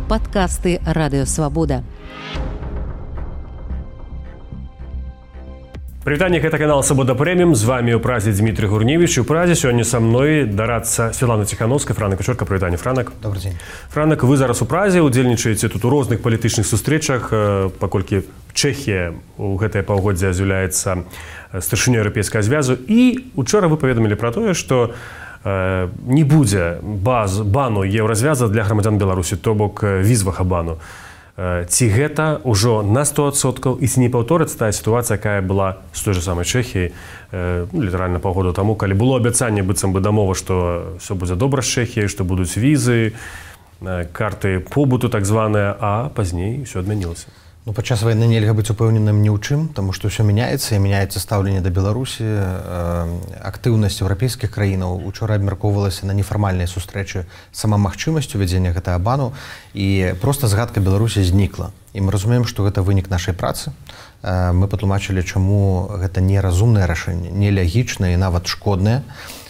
Падкасты Радыёвабода. Прывітанне, гэта канал Свабода Прэміум. З вами ў празе Дмітрий Гурневич. У празе сёння са мной дарацца Святлана Ціхановская. Франак Вечорка, прывітанне, Франак. Добрый дзень. Франак, вы зараз у празе, удзельнічаеце тут у розных палітычных сустрэчах, паколькі Чэхія ў гэтае паўгоддзе з'яўляецца старшынёй Еўрапейскага звязу. І учора вы паведамілі пра тое, што не будзе бану еўразвяза для грамадзян Беларусі, то бок візавага бану. Ці гэта ўжо на 100% і ці не паўторыцца тая сітуацыя, якая была з той же самай Чэхіяй літаральна паўгода таму, калі было абяцанне быццам бы дамова, што ўсё будзе добра з Чэхіяй, што будуць візы, карты побыту так званыя, а пазней ўсё адмянілася. Ну, падчас вайны нельга быць упэўненым ні ў чым, таму што ўсё мяняецца, і мяняецца стаўленне да Беларусі. Актыўнасць еўрапейскіх краінаў учора абмяркоўвалася на нефармальнай сустрэчы сама магчымасць увядзення гэтага бану, і проста згадка Беларусі знікла. І мы разумеем, што гэта вынік нашай працы. Мы патлумачылі, чаму гэта неразумнае рашэнне, нелягічнае і нават шкоднае.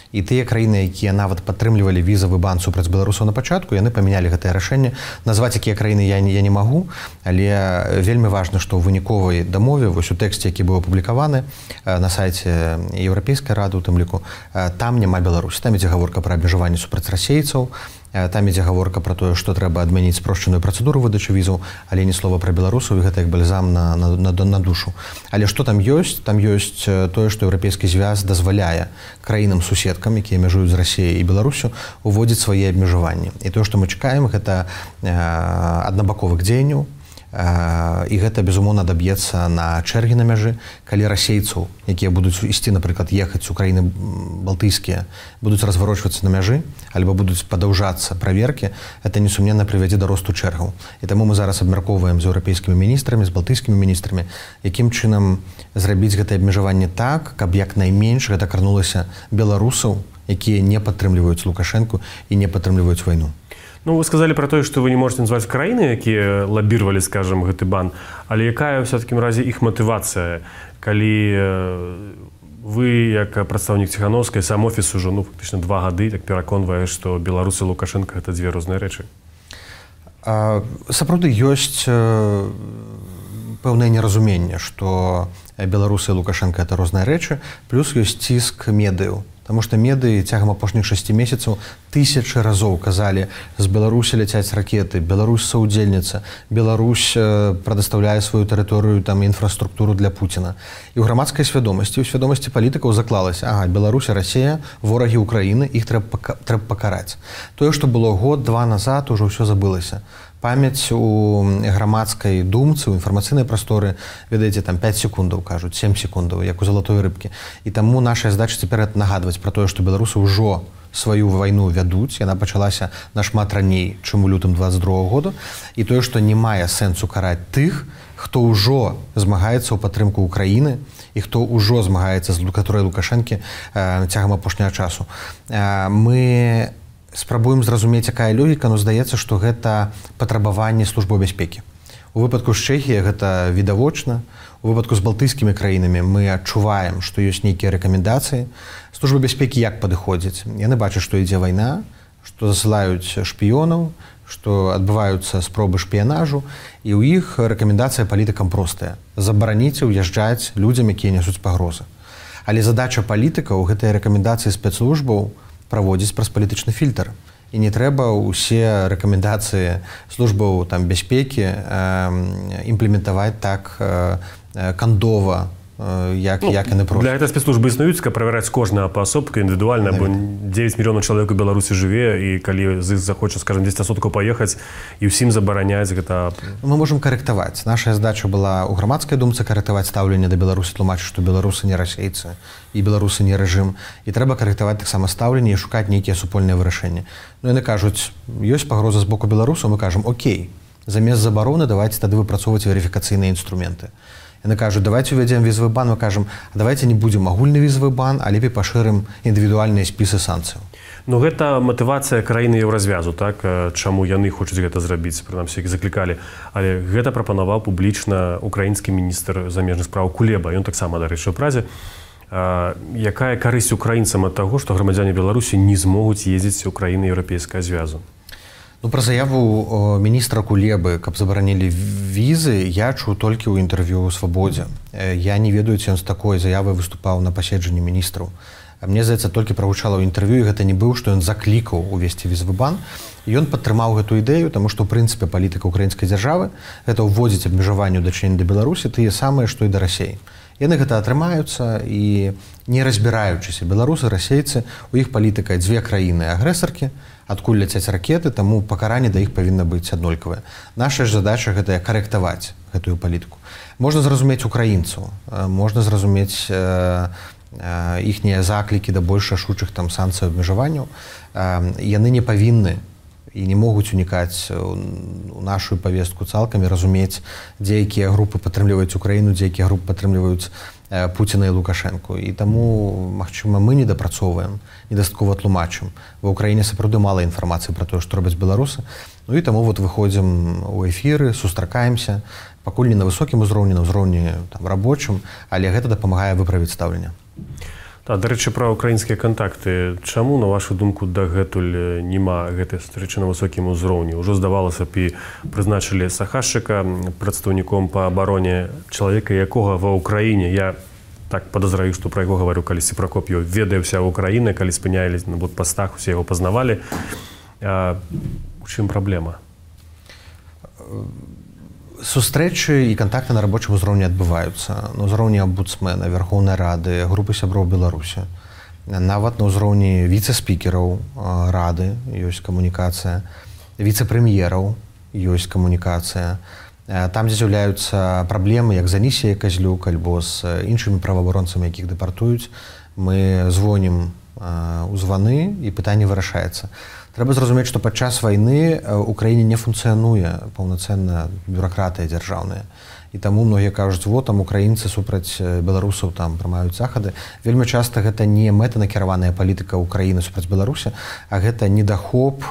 І тыя краіны, якія нават падтрымлівалі візавы бан супраць беларусаў на пачатку, яны памянялі гэтае рашэнне. Назваць якія краіны я не магу, але вельмі важна, што ў выніковай дамове, вось у тэксце, які быў апублікаваны на сайце Еўрапейскай рады, у тым ліку, там няма Беларусі. Там ідзе гаворка пра абмежаванне супраць расейцаў, там ідзе гаворка пра тое, што трэба адмяніць спрошчаную працэдуру выдачы візаў, але ні слова пра беларусаў, і гэта як бальзам на душу. Але што там ёсць? Там ёсць тое, што Еўрапейскі звяз дазваляе краінам-суседкам, якія мяжуюць з Расіяй і Беларусю, уводзіць свае абмежаванні. І тое, што мы чакаем, гэта аднабаковых дзеянняў, і гэта, безумоўна, даб'ецца на чэргі на мяжы, калі расейцаў, якія будуць ісці, напрыклад, ехаць у краіны балтыйскія, будуць разварочвацца на мяжы, альбо будуць падаўжацца праверкі, гэта несумненна прывядзе да росту чэргаў. І таму мы зараз абмяркоўваем з еўрапейскімі міністрамі, з балтыйскімі міністрамі, якім чынам зрабіць гэтае абмежаванне так, каб як найменш гэта карнулася беларусаў, якія не падтрымліваюць Лукашэнку і не падтрымліваюць вайну. Ну, вы сказали про то, что вы не можете назвать краіны, якія лаббировали, скажем, гэты бан, але якая все-таки разе іх мотивация, калі вы, як прадстаўнік Ціхановскай, сам офіс уже, фактично 2 гады, так пераконвае, што Беларусь і Лукашенко гэта дзве розныя рэчы. Сапраўды ёсць пэўнае неразуменне, што Беларусь і Лукашенко гэта розныя рэчы, плюс ёсць ціск медыяў. Таму што медыі цягам апошніх 6 месяцаў тысячы разоў казалі, з Беларусі ляцяць ракеты, Беларусь саўдзельніца, Беларусь прадастаўляе сваю тэрыторыю, там, інфраструктуру для Пуціна. І ў грамадскай свядомасці, у свядомасці палітыкаў заклалася, Беларусь і Расія, ворагі Украіны, іх трэба пакараць. Тое, што было год-два назад, ужо ўсё забылася. Памяць у грамадскай думцы, у інфармацыйнай прасторы, ведаеце, там 5 секундаў, кажуць, 7 секундаў, як у залатой рыбкі. І таму наша задача цяпер нагадваць пра тое, што беларусы ўжо сваю вайну вядуць, яна пачалася нашмат раней, чым у лютым 22 году, і тое, што не мае сэнсу караць тых, хто ўжо змагаецца ў падтрымку Украіны і хто ўжо змагаецца з каторай Лукашэнкі цягам апошняга часу. Мы спрабуем зразумець, якая логіка, но здаецца, што гэта патрабаванне службы бяспекі. У выпадку з Чэхіяй гэта відавочна, у выпадку з балтыйскімі краінамі мы адчуваем, што ёсць нейкія рэкамендацыі. Служба бяспекі як падыходзіць? Яны бачаць, што ідзе вайна, што засылаюць шпіёнаў, што адбываюцца спробы шпіянажу, і ў іх рэкамендацыя палітыкам простая. Забараніце ўязджаць людзям, якія нясуць пагрозы. Але задача палітыкаў гэтыя рэкамендацыі спецслужбаў праводзіць праз палітычны фільтр. І не трэба ўсе рэкамендацыі службаў бяспекі імплементаваць так кандова, як яны проста. Для гэта спецслужбы існуюць, каб правяраць кожнага паасобка індывідуальна, бо 9 мільёнаў чалавек у Беларусі жыве, і калі з іх захоча, скажем, 10% паехаць, і ўсім забараняць гэта... Мы можам карэктаваць. Наша задача была ў грамадскай думцы карэктаваць стаўленне да Беларусі, тлумачыць, што беларусы не расейцы, і беларусы не рэжым. І трэба карэктаваць таксама стаўленне і шукаць нейкія супольныя вырашэнні. Ну, яны кажуць, ёсць пагроза з боку беларусаў, мы кажам, окей, замест забароны давайце тады выпрацоўваць верыфікацыйныя інструменты. Яны кажуць, давайте увядзем візавы бан, мы кажам, давайте не будзем агульны візавы бан, а лепей пашырым індывідуальныя спісы санкцыяў. Ну, гэта матывацыя краіны еўразвязу, так? Чаму яны хочуць гэта зрабіць, прынамсі, як заклікалі. Але гэта прапанаваў публічна украінскі міністр замежных спраў Кулеба. Ён таксама, дарэчы, у празе. Якая карысць украінцам ад таго, што грамадзяне Беларусі не змогуць ездзіць у краіны Еўрапейскага звязу? Ну, про заяву міністра Кулебы, каб забаранілі візы, я чуў толькі ў інтэрв'ю ў «Свабодзе». Я не ведаю, ці ён з такой заявай выступаў на паседжанні міністраў. Мне, здаецца, толькі прагучала ў інтэрв'ю, і гэта не быў, што ён заклікаў увесці візавы бан. Ён падтрымаў гэту ідэю, таму што, ў прынцыпе, палітыка ўкраінскай дзяржавы – гэта ўводзіць абмежаванне ў дачыненні да Беларусі тыя самыя, што і да Расіі. Яны гэта атрымаюцца і, не разбіраючыся, беларусы, расейцы, у іх палітыка дзве краіны-агрэсаркі, адкуль ляцяць ракеты, таму пакаранне да іх павінна быць аднолькавае. Наша ж задача – гэта карэктаваць гэтую палітыку. Можна зразумець украінцаў, можна зразумець іхнія заклікі да больш рашучых там санкцый абмежаванняў. Яны не павінны і не могуць унікаць у нашу павестку цалкам і разумець, дзе якія групы падтрымліваюць Украіну, дзе якія групы падтрымліваюць Пуціна і Лукашэнку. І таму, магчыма, мы недапрацоўваем, недастаткова тлумачым. Ва ўкраіне сапраўды мала інфармацыі пра тое, што робяць беларусы. Ну і таму вот выходзім у эфіры, сустракаемся, пакуль не на высокім узроўні, на ўзроўні рабочым, але гэта дапамагае выправіць стаўленне. Дарэчы, пра ўкраінскія кантакты. Чаму, на вашу думку, дагэтуль няма гэтай сустрэчы на высокім узроўні? Ужо, здавалася б, і прызначылі Сахашчыка прадстаўніком па абароне, чалавека, якога ва ўкраіне, я так падазраю, што пра яго гаварыў калісьці Пракоп'еў, ведае ўся ўкраіна, калі спынялись на блокпастах, усе яго пазнавалі. У чым праблема? Сустрэчы і кантакты на рабочым узроўні адбываюцца. На ўзроўні амбудсмена, Верхоўнай Рады, групы сяброў Беларусі. Нават на ўзроўні віцэ-спікераў Рады ёсць камунікацыя, віцэ-прэм'ераў ёсць камунікацыя. Там, дзе з'яўляюцца праблемы, як з Анісіяй Казлюк, альбо з іншымі праваабаронцамі, якіх дэпартуюць, мы звонім у званы, і пытанне вырашаецца. Трэба зразумець, што падчас вайны ў краіне не функцыянуе паўнацэнна бюракратыя дзяржаўная. І таму многія кажуць, вот там украінцы супраць беларусаў там прымаюць захады. Вельмі часта гэта не мэтанакіраваная палітыка ўкраіны супраць Беларусі, а гэта недахоп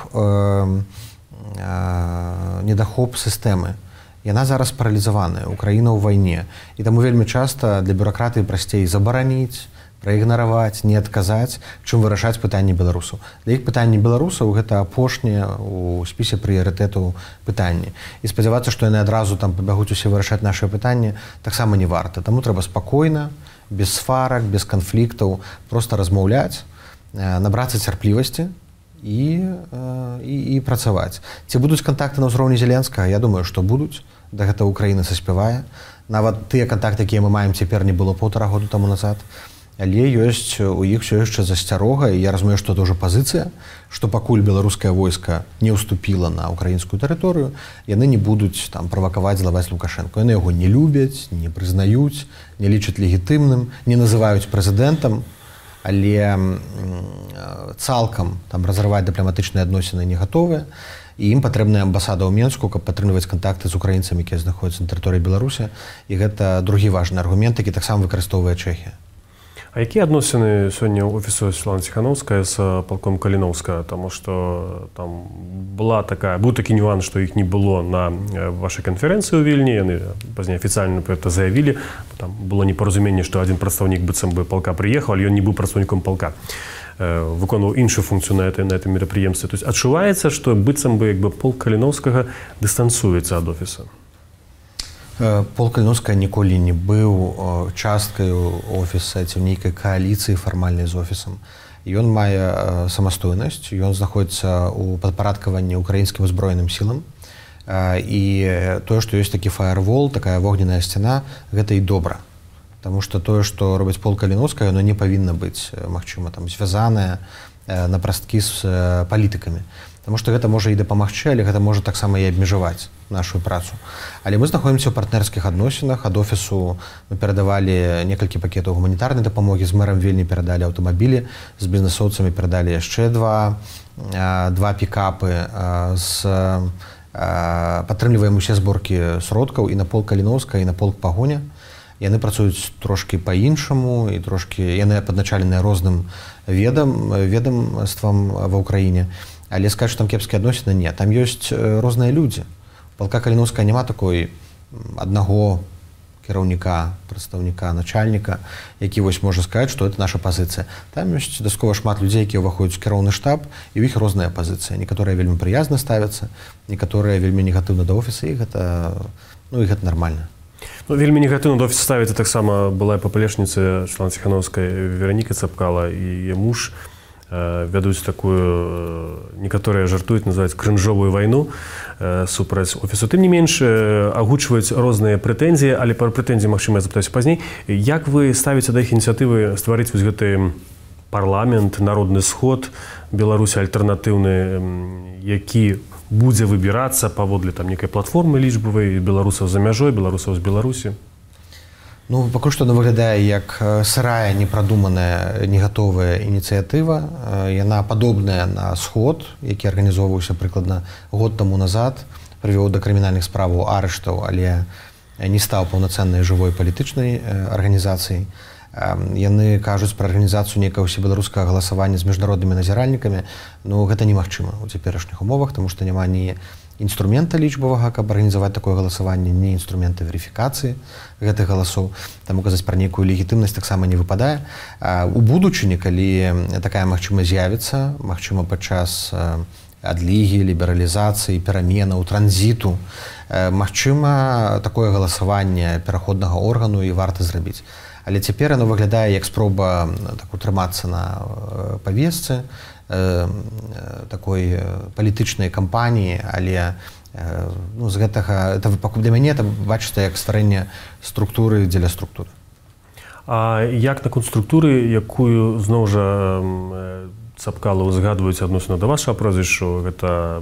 сістэмы. Яна зараз паралізаваная, Украіна ў вайне. І таму вельмі часта для бюракратыі прасцей забараніць, праігнараваць, не адказаць, чым вырашаць пытанні беларусаў. Для іх пытанні беларусаў гэта апошняе ў спісе прыярытэтаў пытанні. І спадзявацца, што яны адразу там пабягуць усе вырашаць нашыя пытанні, таксама не варта. Таму трэба спакойна, без сварак, без канфліктаў, проста размаўляць, набрацца цярплівасці і працаваць. Ці будуць кантакты на ўзроўні Зеленскага? Я думаю, што будуць. Да гэта Украіна саспявае. Нават тыя кантакты, якія мы маем цяпер, не было 1,5 года таму назад. Але ёсць у іх все яшчэ засцярога, і я разумею, што гэта ўжо пазіцыя, што пакуль беларускае войска не ўступіла на украінскую тэрыторыю, яны не будуць там правакаваць, злаваць Лукашэнку. Яны яго не любяць, не прызнаюць, не лічаць легітымным, не называюць прэзідэнтам, але цалкам там разрываць дыпламатычныя адносіны не гатовыя. І ім патрэбная амбасада ў Менску, каб падтрымліваць кантакты з украінцамі, якія знаходзяцца на тэрыторыі Беларусі. І гэта другі важны аргумент, які таксама выкарыстоўвае Чэхія. А якія адносіны сёння ў офісу Светланы Ціханаўскай з палком Каліноўска? Таму што там быў такі нюанс, што іх не было на вашай канферэнцыі ў Вільні. Яны пазней афіцыйна пра гэта заявілі. Там было непаразуменне, што адзін прадстаўнік быццам бы палка прыехаў, але ён не быў прадстаўніком палка. Выконваў іншую функцыю на этом мерапрыемстве. То есть адчуваецца, што быццам бы полк Каліноўскага дыстанцуецца ад офіса. Полк Каліноўскага ніколі не быў часткай офіса ці нейкай кааліцыі фармальнай з офісам. Ён мае самастойнасць, ён знаходзіцца ў падпарадкаванні украінскім узброеным сілам. І тое, што ёсць такі фаервол, такая вогненная сцяна, гэта і добра. Таму што тое, што робіць полк Каліноўскага, яно не павінна быць, магчыма, там звязанае на прасткі з палітыкамі. Таму што гэта можа і дапамагчы, але гэта можа таксама і абмежаваць нашу працу. Але мы знаходзімся ў партнерскіх адносінах. Ад офісу мы перадавалі некалькі пакетаў гуманітарнай дапамогі, з мэрам Вільні перадалі аўтамабілі, з бізнэсоўцамі перадалі яшчэ два пікапы, падтрымліваем усе зборкі сродкаў і на полк Каліноўска, і на полк Пагоня. Яны працуюць трошкі па-іншаму, і трошкі яны падначаленыя розным ведамствам ва ўкраіне. Але сказаць, што там кепскія адносіны, не. Там ёсць розныя людзі. У палка Каліноўскага няма такой аднаго кіраўніка, прадстаўніка, начальніка, які вось можа сказаць, што это наша пазіцыя. Там ёсць дастаткова шмат людзей, якія ўваходзяць у кіроўны штаб, і ў іх розная пазіцыя. Некаторыя вельмі прыязна ставяцца, некаторыя вельмі негатыўна да офіса, і гэта нармальна. Вельмі негатыўна да офіса ставіцца таксама была папалечніца Святланы Ціханаўскай Вераніка Цапкала і яе муж вядуць такую, некаторыя жартуюць, называюць крынжовую вайну супраць офісу. Тым не менш, агучваюць розныя прэтэнзіі, але пра прэтэнзіі, магчыма, я запытаюся пазней. Як вы ставіце да іх ініцыятывы стварыць вось гэты парламент, народны сход Беларусі альтэрнатыўны, які будзе выбірацца паводле там некай платформы лічбавай беларусаў за мяжой, беларусаў з Беларусі? Ну, пакуль што выглядае як сырая, непрадуманая, негатовая ініцыятыва. Яна падобная на сход, які арганізоўваўся прыкладна год таму назад, прывёў да крымінальных справаў, арыштаў, але не стаў паўнацэннай жывой палітычнай арганізацыяй. Яны кажуць пра арганізацыю нейкага ўсебеларускага галасавання з міжнароднымі назіральнікамі. Ну, гэта немагчыма ў цяперашніх умовах, таму што няма ні інструмента лічбавага, каб арганізаваць такое галасаванне, ні інструмента верыфікацыі гэтых галасоў. Таму казаць пра нейкую легітымнасць таксама не выпадае. У будучыні, калі такая магчымасць з'явіцца, магчыма, падчас адлігі, лібералізацыі, пераменаў, транзіту, магчыма, такое галасаванне пераходнага органу і варта зрабіць. Але цяпер яно выглядае як спроба утрымацца на павесцы, такой палітычнай кампаніі, але з гэтага для мяне это бачыцца як стварэнне структуры дзеля структуры. А як наконт структуры, якую зноў жа Цапкала узгадваюць адносна да вашага прозвішча, гэта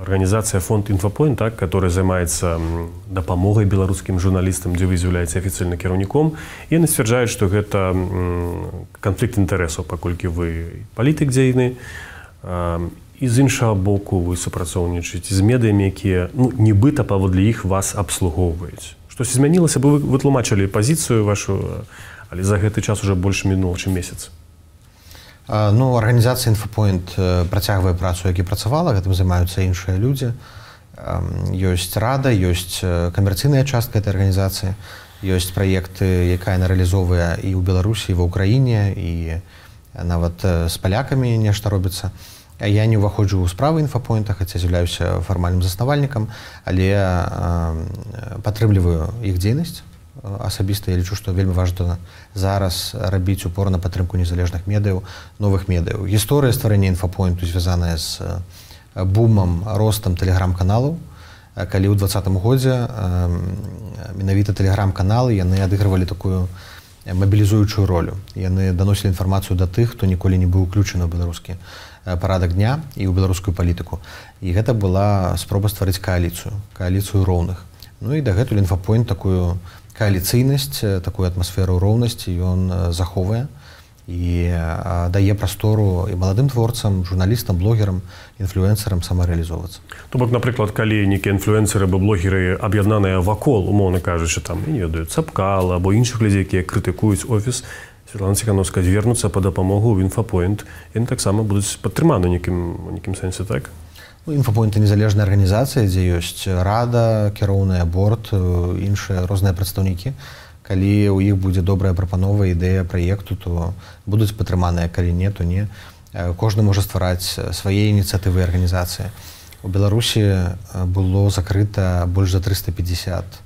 арганізацыя фонд «Інфапойнт», так, которая займаецца дапамогай беларускім журналістам, дзе вы з'яўляеце афіцыйным кіраўніком. І яны сцвярджаюць, што гэта канфлікт інтарэсаў, паколькі вы палітык дзейны, і з іншага боку вы супрацоўнічаеце з медыямі, якія нібыта паводле іх вас абслугоўваюць. Штосьці змянілася, бы вы тлумачылі пазіцыю вашу, але за гэты час уже больш мінула, чым месяц. Ну, арганізацыя «Інфапойнт» працягвае працу, як і працавала, гэтым займаюцца іншыя людзі. Ёсць рада, ёсць камерцыйная частка этой арганізацыі, ёсць праекты, якая яна рэалізоўвае і ў Беларусі, і ва ўкраіне, і нават з палякамі нешта робіцца. Я не ўваходжу ў справы «Інфапойнта», хаця з'яўляюся фармальным заснавальнікам, але падтрымліваю іх дзейнасць. Асабіста я лічу, што вельмі важна зараз рабіць упор на падтрымку незалежных медыяў, новых медыяў. Гісторыя стварэння «Інфапойнту» звязаная з бумам, ростам тэлеграм-каналаў. Калі ў 2020 годзе менавіта тэлеграм-каналы яны адыгрывалі такую мабілізуючую ролю. Яны даносілі інфармацыю да тых, хто ніколі не быў уключаны ў беларускі парадак дня і ў беларускую палітыку. І гэта была спроба стварыць кааліцыю роўных. Ну і дагэтуль «Інфапойнт» такую кааліцыйнасць, такую атмасферу роўнасці ён захоўвае і дае прастору і маладым творцам, журналістам, блогерам, інфлюэнсарам самарэалізоўвацца. То бок, напрыклад, калі нейкія інфлюэнсары або блогеры аб'яднаныя вакол, умоўна кажучы, там, я не ведаю, Цапкала або іншых людзей, якія крытыкуюць офіс Святланы Ціханаўскай, звернуцца па дапамогу ў «Інфапойнт», яны таксама будуць падтрыманы нейкім сэнсе, так? «Інфапойнт» — незалежная арганізацыя, дзе ёсць рада, кіроўны борт, іншыя розныя прадстаўнікі. Калі ў іх будзе добрая прапанова, ідэя праекту, то будуць падтрыманыя, калі не, то не. Кожны можа ствараць свае ініцыятывы і арганізацыі. У Беларусі было закрыта больш за 350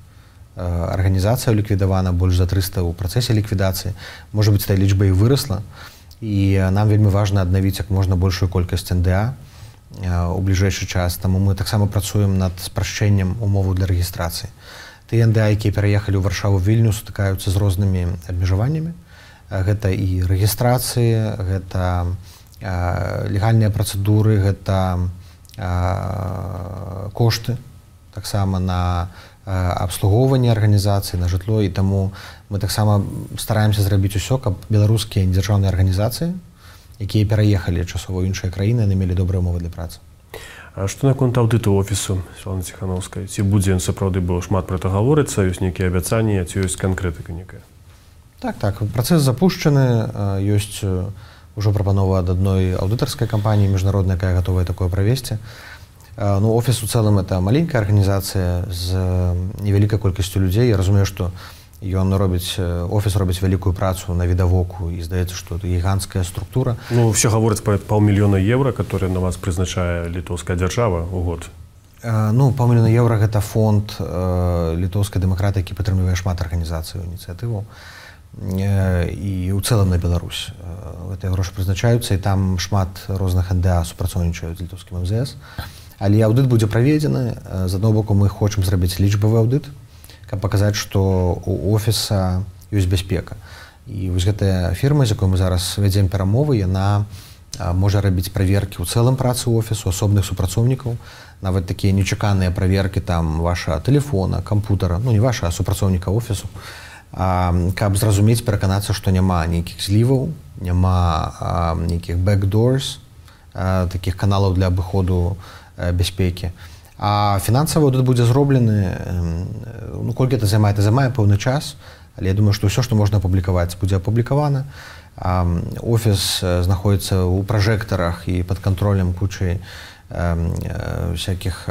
арганізацыяў ліквідавана, больш за 300 ў працэсе ліквідацыі. Можа быць, тая лічба і вырасла. І нам вельмі важна аднавіць як можна большую колькасць НДА у бліжэйшы час. Таму мы таксама працуем над спрашчэннем умоваў для рэгістрацыі. Тыя НДА, якія пераехалі ў Варшаву, Вільню, сутыкаюцца з рознымі абмежаваннямі. Гэта і рэгістрацыі, гэта легальныя працэдуры, гэта кошты таксама на абслугоўванне арганізацыі, на жытло. І таму мы таксама стараемся зрабіць усё, каб беларускія дзяржаўныя арганізацыі, якія пераехалі часова ў іншыя краіны, яны мелі добрыя умовы для працы. А што наконт аўдыту офісу Святланы Ціханаўскай? Ці будзе ён сапраўды, бо шмат пра гэта гаворыцца, ёсць нейкія абяцанні, ці ёсць канкрэтыка некая? Так, працэс запушчаны, ёсць ужо прапанова ад адной аўдытарскай кампаніі міжнароднай, якая гатовая такое правесці. Ну, офіс у цэлым это маленькая арганізацыя з невялікай колькасцю людзей. Я разумею, што Офіс робіць вялікую працу на відавоку, і здаецца, што это гіганцкая структура. Ну, все гавораць пра паўмільёна еўра, которые на вас прызначае літоўская дзяржава ў год. Ну, паўмільёна еўра гэта фонд літоўскай дэмакраты, які падтрымлівае шмат арганізацый ініцыятываў. І ў цэлым на Беларусь. Гэтыя грошы прызначаюцца, і там шмат розных НДА супрацоўнічаюць з літоўскім МЗС. Але аўдыт будзе праведзены. З аднаго боку, мы хочам зрабіць лічбавы аўдыт, каб паказаць, што у офіса ёсць бяспека. І вось гэтая фірма, з якой мы зараз вядзем перамовы, яна можа рабіць праверкі ў цэлым працы офісу, асобных супрацоўнікаў, нават такія нечаканыя праверкі там ваша тэлефона, кампутара, ну не ваша, а супрацоўніка офісу, каб зразумець, пераканацца, што няма нейкіх зліваў, няма нейкіх backdoors, такіх каналаў для абыходу бяспекі. А фінансавы аўдыт будзе зроблены, ну, колькі это займае пэўны час, але я думаю, што ўсё, што можна апублікаваць, будзе апублікавана. Офіс знаходзіцца ў пражэктарах і пад кантролем кучы всякіх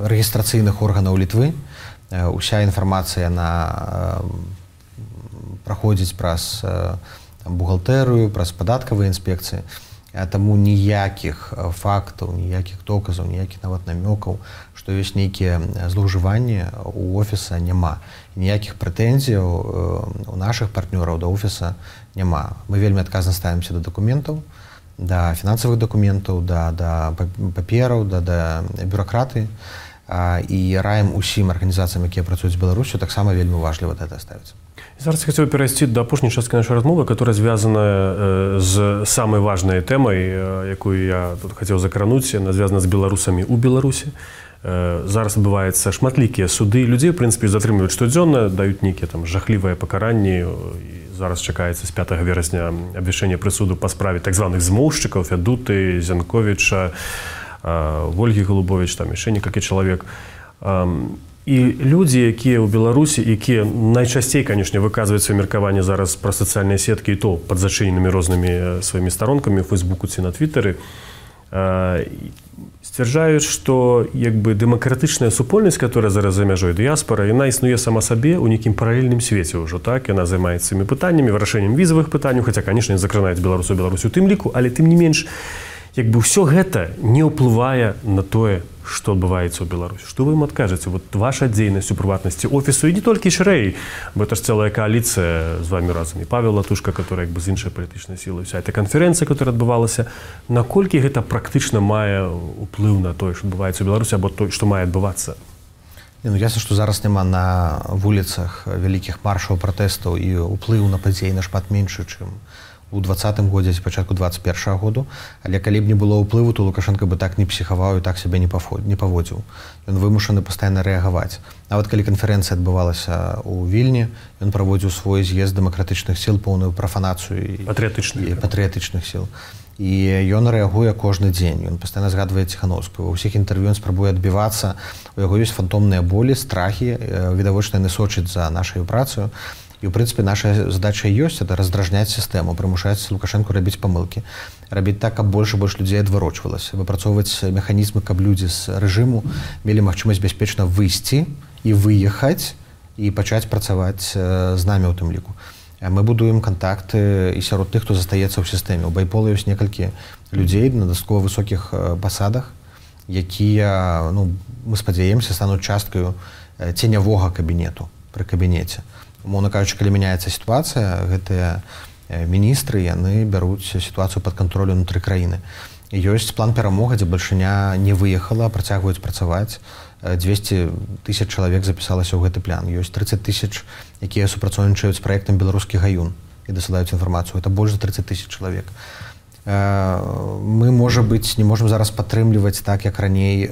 рэгістрацыйных органаў Літвы. Уся інфармацыя праходзіць праз бухгалтэрыю, праз падаткавыя інспекцыі. Таму ніякіх фактаў, ніякіх доказаў, ніякіх нават намёкаў, што ёсць нейкія злоўжыванні у офіса няма. Ніякіх прэтэнзіяў у нашых партнёраў да офіса няма. Мы вельмі адказна ставімся да дакументаў, да фінансавых дакументаў, да папераў, да бюракратыі. І раім усім арганізацыям, якія працуюць з Беларусю, таксама вельмі важліва да гэта ставіцца. Зараз я хотел перейти до апошняй частки нашей размовы, которая связана с самой важной темой, якую я тут хотел закрануть. Она связана с белорусами у Беларуси. Зараз адбываюцца шматлікія суды. Людей, в принципе, затрымліваюць штодзённа, даюць нейкія там жахлівыя пакаранні. Зараз чакаецца з 5 верасня абвяшчэнне прысуду па справе так званых змоўшчыкаў, Фядуты, Зянковіча, Вольгі Голубович, там яшчэ некалькі чалавек. І людзі, якія ў Беларусі, якія найчасцей, канешне, выказваюць сваё меркаванне зараз пра сацыяльныя сеткі, і то пад зачыненымі рознымі сваімі старонкамі ў Фейсбуку ці на Твітары, сцвярджаюць, што дэмакратычная супольнасць, которая зараз за мяжой дыяспара, яна існуе сама сабе ў нейкім паралельным свеце ўжо, так? Яна займаецца цымі пытаннямі, вырашэннем візавых пытанняў, хаця, канешне, закранаюць Беларусу у тым ліку, але тым не менш, ўсё гэта не ўплывае на тое, што адбываецца ў Беларусі. Што вы ім адкажаце? Вот ваша дзейнасць у прыватнасці офісу, і не толькі шырэй, бо это ж цэлая коаліцыя з вами разам. І Павел Латушка, который з іншай палітычнай сілай, вся эта канферэнцыя, которая адбывалася, наколькі гэта практычна мае ўплыў на тое, што адбываецца ў Беларусі, або тое, што мае адбывацца? Ясна, што зараз няма на вуліцах вялікіх маршаў, пратэстаў, і ўплыў на падзеі нашмат меншы, чым у 2020 годзе, ці пачатку 2021 году, але калі б не было ўплыву, то Лукашенко бы так не псіхаваў і так сябе не паводзіў. Ён вымушаны пастаянна рэагаваць. Нават калі канферэнцыя адбывалася ў Вільні, ён праводзіў свой з'езд дэмакратычных сіл, поўную прафанацыю і патрыятычных сіл. І ён рэагуе кожны дзень. Ён пастаянна згадвае Ціхановскую. Ва ўсіх інтэрв'ю ён спрабуе адбівацца. У яго ёсць фантомныя болі, страхі, відавочна яны сочаць за нашаю працаю. І, ў прынцыпе, наша задача ёсць, это раздражняць сістэму, прымушаць Лукашэнку рабіць памылкі, рабіць так, каб больш і больш людзей адварочвалася, выпрацоўваць механізмы, каб людзі з рэжыму мелі магчымасць бяспечна выйсці і выехаць і пачаць працаваць з намі ў тым ліку. Мы будуем кантакты і сярод тых, хто застаецца ў сістэме. У Байпола ёсць некалькі людзей на дастаткова высокіх пасадах, якія, мы спадзяемся, стануць часткаю ценявога кабінету пры кабінеце. Умоўна кажучы, калі мяняецца сітуацыя, гэтыя міністры, яны бяруць сітуацыю пад кантролю ўнутры краіны. Ёсць план перамога, дзе бальшыня не выехала, працягваюць працаваць. 200 000 чалавек запісалася ў гэты план. Ёсць 30 000, якія супрацоўнічаюць з праектам «Беларускі гаюн» і дасылаюць інфармацыю. Это больш за 30 000 чалавек. Мы, можа быць, не можам зараз падтрымліваць так, як раней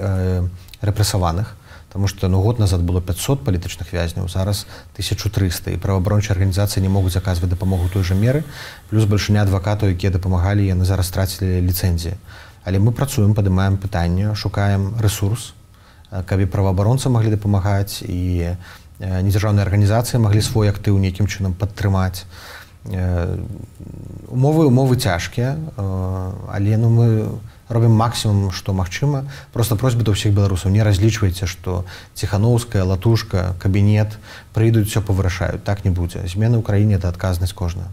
рэпрэсаваных, потому что год назад было 500 палітычных вязняў, зараз 1300, і праваабарончыя арганізацыі не могуць аказваць дапамогу той жа меры, плюс бальшыня адвакатаў, якія дапамагалі, яны зараз страцілі ліцэнзіі. Але мы працуем, падымаем пытанне, шукаем рэсурс, каб і праваабаронцы маглі дапамагаць, і недзяржаўныя арганізацыі маглі свой актыў нейкім чынам падтрымаць. Умовы цяжкія, але мы робім максімум, што магчыма. Просто просьба да ўсіх беларусаў, не разлічвайце, што Ціханаўская, Латушка, кабінет прыйдуць, все павырашаюць. Так не будзе. Змены ў краіне – это адказнасць кожнага.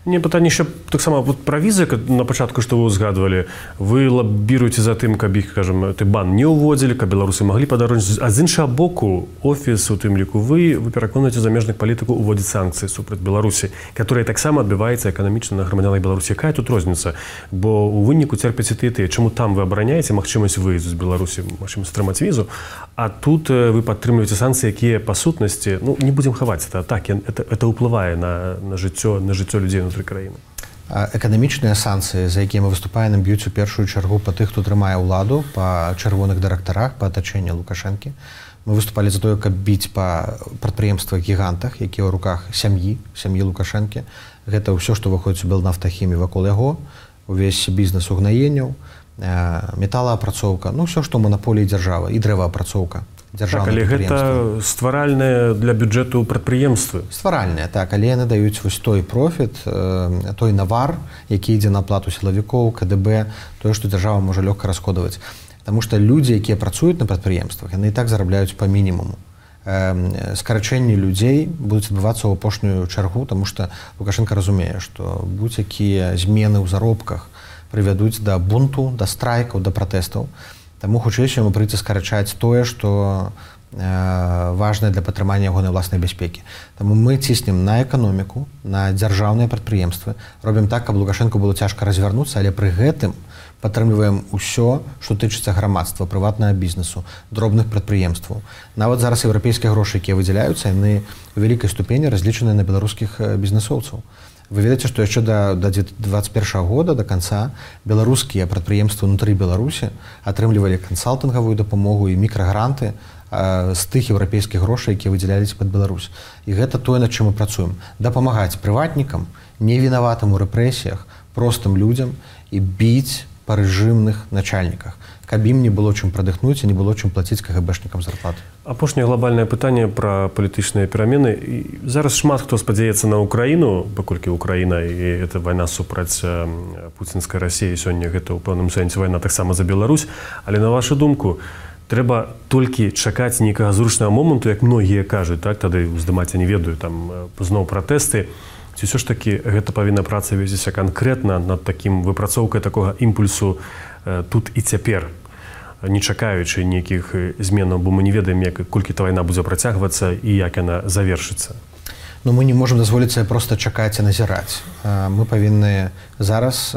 Не, пытанне яшчэ таксама пра візы, на пачатку, што вы узгадвалі, вы лабіруеце за тым, каб іх, кажам, ты бан не ўводзілі, каб беларусы маглі падарожнічаць. А з іншага боку, офіс, у тым ліку вы пераконваеце замежных палітыкаў уводзіць санкцыі супраць Беларусі, которая таксама адбіваецца эканамічна на грамадзянах Беларусі. Якая тут розніца? Бо у выніку церпяць і тыя. Чаму там вы абараняеце магчымасць выезду з Беларусі, магчымасць атрымаць візу, а тут вы падтрымліваеце санкцыі, якія па сутнасці, не будзем хаваць, это ўплывае на жыццё людзей внутры краіны. Эканамічныя санкцыі, за якія мы выступаем, б'юць у першую чаргу па тых, хто трымае ўладу, па чырвоных дырэктарах, па атачэнні Лукашэнкі. Мы выступалі за тое, каб біць па прадпрыемствах-гігантах, якія ў руках сям'і Лукашэнкі. Гэта ўсё, што выходзіць у Белнафтахімі вакол яго, увесь бізнес угнаенняў, металаапрацоўка, ўсё, што манаполіі дзяржавы, і дрэваапрацоўка. Так, але гэта стваральныя для бюджэту прадпрыемствы. Стваральныя, так, але яны даюць вось той профіт, той навар, які ідзе на плату сілавікоў, КДБ, тое, што дзяржава можа лёгка расходаваць. Таму што людзі, якія працуюць на прадпрыемствах, яны і так зарабляюць па мінімуму. Скарачэнні людзей будуць адбывацца ў апошнюю чаргу, таму што Лукашенко разумее, што будь-якія змены ў заробках прывядуць да бунту, да страйкаў, да пратэстаў. Таму хутчэй яму прыйдзе скарачаць тое, што важнае для падтрымання ягонай ўласнай бяспекі. Таму мы ціснем на эканоміку, на дзяржаўныя прадпрыемствы, робім так, каб Лукашенко было цяжка развярнуцца, але пры гэтым падтрымліваем усё, што тычыцца грамадства, прыватнага бізнесу, дробных прадпрыемстваў. Нават зараз еўрапейскія грошы, якія выдзяляюцца, яны у вялікай ступені разлічаныя на беларускіх бізнесоўцаў. Вы ведаеце, што яшчэ да 2021 года, да канца, беларускія прадпрыемствы ўнутры Беларусі атрымлівалі кансалтынгавую дапамогу і мікрагранты з тых еўрапейскіх грошай, якія выдзяляліся пад Беларусь. І гэта тое, над чым мы працуем. Дапамагаць прыватнікам, невінаватым у рэпрэсіях, простым людзям і біць па рэжымных начальніках, каб ім не было чым прадыхнуць і не было чым плаціць КГБшнікам зарплаты. Апошняе глобальнае пытанне пра палітычныя перамены. Зараз шмат хто спадзяецца на Украіну, паколькі Украіна і гэта вайна супраць пуцінскай Расіі, сёння гэта ў пэўным сэнсе вайна таксама за Беларусь, але на вашу думку, трэба толькі чакаць нейкага зручнага моманту, як многія кажуць, так, тады уздымаць, я не ведаю, там зноў пратэсты, ці ўсё ж такі гэта павінна праца весціся канкрэтна над такім выпрацоўкай такога імпульсу тут і цяпер, не чакаючы нейкіх зменаў, бо мы не ведаем, колькі та вайна будзе працягвацца і як яна завершыцца. Но мы не можам дазволіць сабе проста чакаць і назіраць. Мы павінны зараз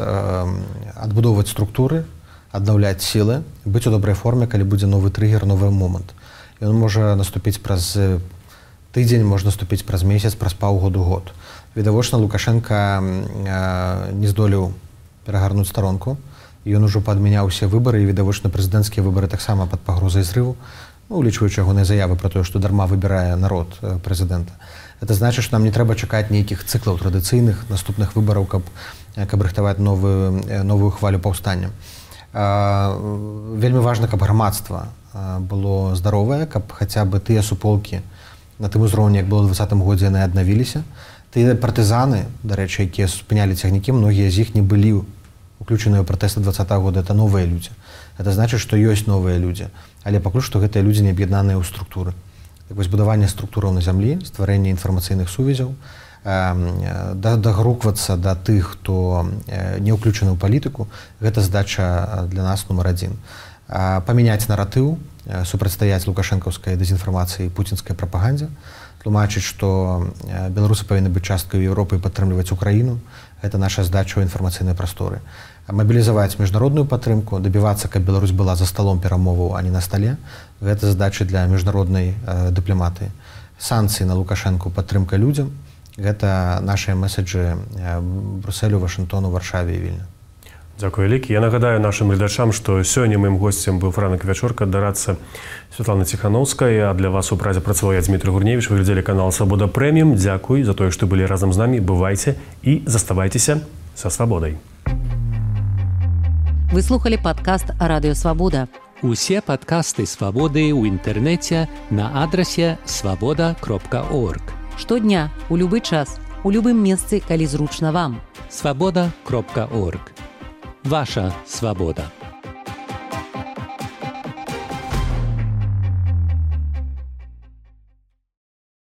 адбудоўваць структуры, аднаўляць сілы, быць у добрай форме, калі будзе новы трыгер, новы момант. Ён можа наступіць праз тыдзень, можа наступіць праз месяц, праз паўгоду, год. Відавочна, Лукашенко не здолеў перагарнуць старонку. Ён ужо падмяняў усе выбары, і відавочна прэзідэнцкія выбары таксама пад пагрозай зрыву, улічваючы ягоныя заявы пра тое, што дарма выбірае народ прэзідэнта. Это значыць, што нам не трэба чакаць нейкіх цыклаў традыцыйных наступных выбараў, каб рыхтаваць новую хвалю паўстання. Вельмі важна, каб грамадства было здаровае, каб хаця бы тыя суполкі на тым узроўні, як было ў 2020 годзе, яны аднавіліся. Тыя партызаны, дарэчы, якія спынялі цягнікі, многія з іх не былі уключаныя ў пратэсты 2020 года, это новыя людзі. Это значыць, што ёсць новыя людзі, але пакуль што гэтыя людзі не аб'яднаныя ў структуры. Так вось будаванне структураў на зямлі, стварэнне інфармацыйных сувязяў, дагруквацца да тых, хто не ўключаны ў палітыку, гэта задача для нас нумар адзін. Памяняць наратыў, супрацьстаяць лукашэнкаўскай дэзінфармацыі і пуцінскай прапагандзе, тлумачыць, што беларусы павінны быць часткай Еўропы і падтрымліваць Украіну. Гэта наша задача ў інфармацыйнай прасторы. Мабілізаваць міжнародную падтрымку, дабівацца, каб Беларусь была за сталом перамоваў, а не на стале. Гэта задача для міжнароднай дыпламатыі. Санкцыі на Лукашэнку, падтрымка людзям. Гэта нашыя месаджы Брусэлю, Вашынгтону, Варшаве і Вільні. Дзякуй вялікі. Я нагадаю нашым гледачам, што сёння маім госцем быў Франак Вячорка, дарадца Святланы Ціханаўскай, а для вас у празе працаваў я, Дмітрый Гурневіч. Вы глядзелі канал «Свабода Прэміум». Дзякуй за тое, што былі разам з намі. Бывайце і заставайцеся са свабодай. Вы слухали падкаст «Радыё Свабода». Усе падкасты «Свабоды» ў інтэрнэце на адрасе swaboda.org. Штодня, у любы час. у любым месцы, калі зручна вам. Свобода.орг. Ваша свобода.